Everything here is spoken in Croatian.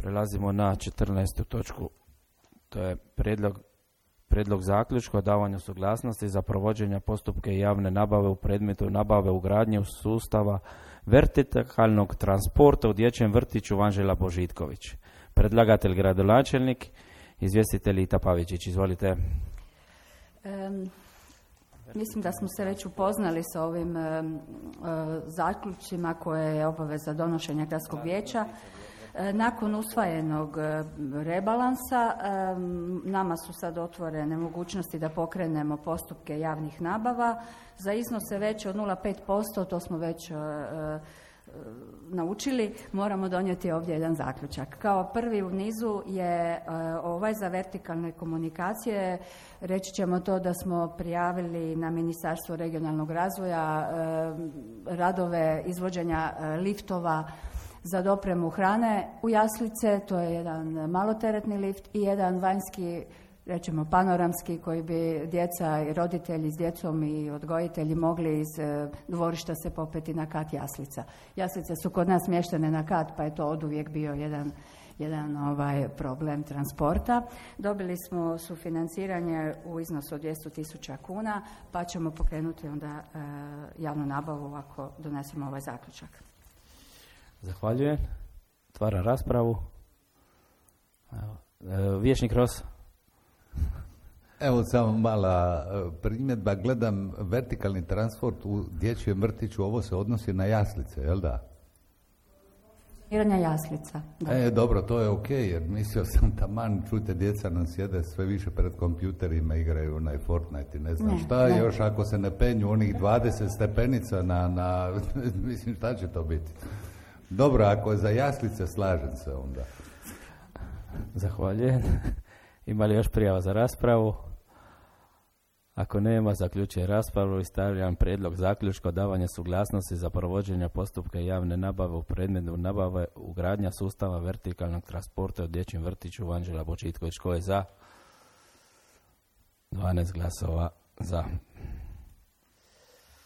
Prelazimo na 14. točku. To je prijedlog zaključka o davanju suglasnosti za provođenje postupke javne nabave u predmetu nabave ugradnje u sustava vertikalnog transporta u dječjem vrtiću Vanžela Božitković. Predlagatelj gradonačelnik, izvjestitelj Ita Pavičić. Izvolite. Mislim da smo se već upoznali sa ovim zaključcima koje je obaveza donošenja gradskog vijeća. Nakon usvojenog rebalansa nama su sad otvorene mogućnosti da pokrenemo postupke javnih nabava za iznose veće od 0,5%, to smo već naučili, moramo donijeti ovdje jedan zaključak. Kao prvi u nizu je ovaj za vertikalne komunikacije. Reći ćemo to da smo prijavili na Ministarstvo regionalnog razvoja radove izvođenja liftova za dopremu hrane u jaslice, to je jedan maloteretni lift i jedan vanjski, rećemo panoramski, koji bi djeca i roditelji s djecom i odgojitelji mogli iz dvorišta se popeti na kat jaslica. Jaslice su kod nas smještene na kat, pa je to oduvijek bio jedan problem transporta. Dobili smo sufinanciranje u iznosu od 200.000 kuna, pa ćemo pokrenuti onda javnu nabavu ako donesemo ovaj zaključak. Zahvaljujem. Otvaram raspravu. Vijećnik Ros. Evo samo mala primjedba. Gledam vertikalni transport u dječjem vrtiću. Ovo se odnosi na jaslice, jel da? Jaslica. Da. Dobro, to je ok, jer mislio sam taman, čujte, djeca nam sjede sve više pred kompjuterima, igraju na Fortnite i ne znam šta, još ako se ne penju onih 20 stepenica na mislim, šta će to biti? Dobro, ako je za jaslice, slažem se onda. Zahvaljujem. Ima li još prijava za raspravu? Ako nema, zaključujem raspravu i stavljam prijedlog zaključka o davanju suglasnosti za provođenje postupka javne nabave u predmetu nabave ugradnja sustava vertikalnog transporta u dječjem vrtiću Vanžela Božitković. Tko je za? 12 glasova za.